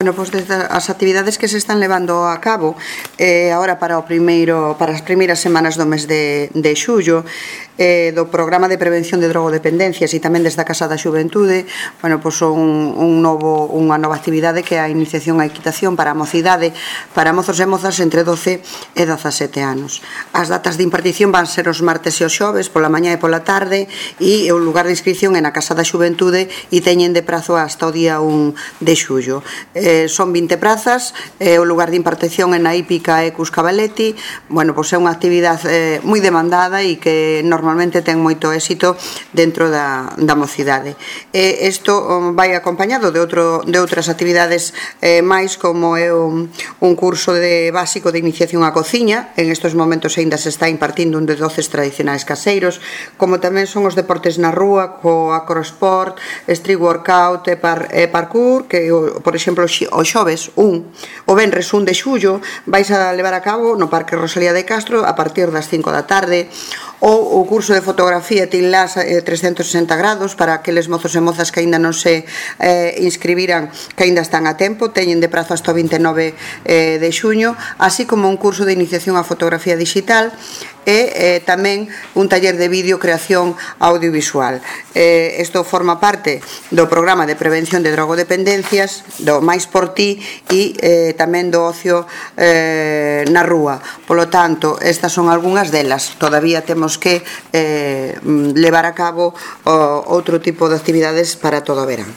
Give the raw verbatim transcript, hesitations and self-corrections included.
Bueno, pois desde as actividades que se están levando a cabo eh, agora para o primeiro para as primeiras semanas do mes de, de xullo eh, do programa de prevención de drogodependencias e tamén desde a Casa da Xuventude, bueno, pois un, un novo, unha nova actividade que é a iniciación á equitación para a mocidade, para mozos e mozas entre doce e dezasete anos. As datas de impartición van ser os martes e os xoves pola mañá e pola tarde, e o lugar de inscripción é na Casa da Xuventude e teñen de prazo hasta o día un de xullo. Eh, son vinte prazas, eh, o lugar de impartición é na Hípica e Cus Cavaletti. Bueno, pois é unha actividade eh, moi demandada e que normalmente ten moito éxito dentro da, da mocidade. E isto um, vai acompañado de, outro, de outras actividades eh, máis, como é un, un curso de básico de iniciación á cociña. En estes momentos ainda se está impartindo un de doces tradicionais caseiros, como tamén son os deportes na rúa, co acrosport, street workout e, par, e parkour, que, por exemplo, o xoves un, o venres un de xullo vais a levar a cabo no Parque Rosalía de Castro a partir das cinco da tarde, ou o curso de fotografía Tinlas eh, trescentos sesenta grados para aqueles mozos e mozas que aínda non se eh, inscribiran, que aínda están a tempo, teñen de prazo hasta o vinte e nove eh, de xuño, así como un curso de iniciación á fotografía digital e eh, tamén un taller de vídeo creación audiovisual. Eh, isto forma parte do programa de prevención de drogodependencias, do Mais por Ti, e eh, tamén do ocio eh, na rúa. Polo tanto, estas son algunhas delas. Todavía temos que eh, levar a cabo o, outro tipo de actividades para todo o verán.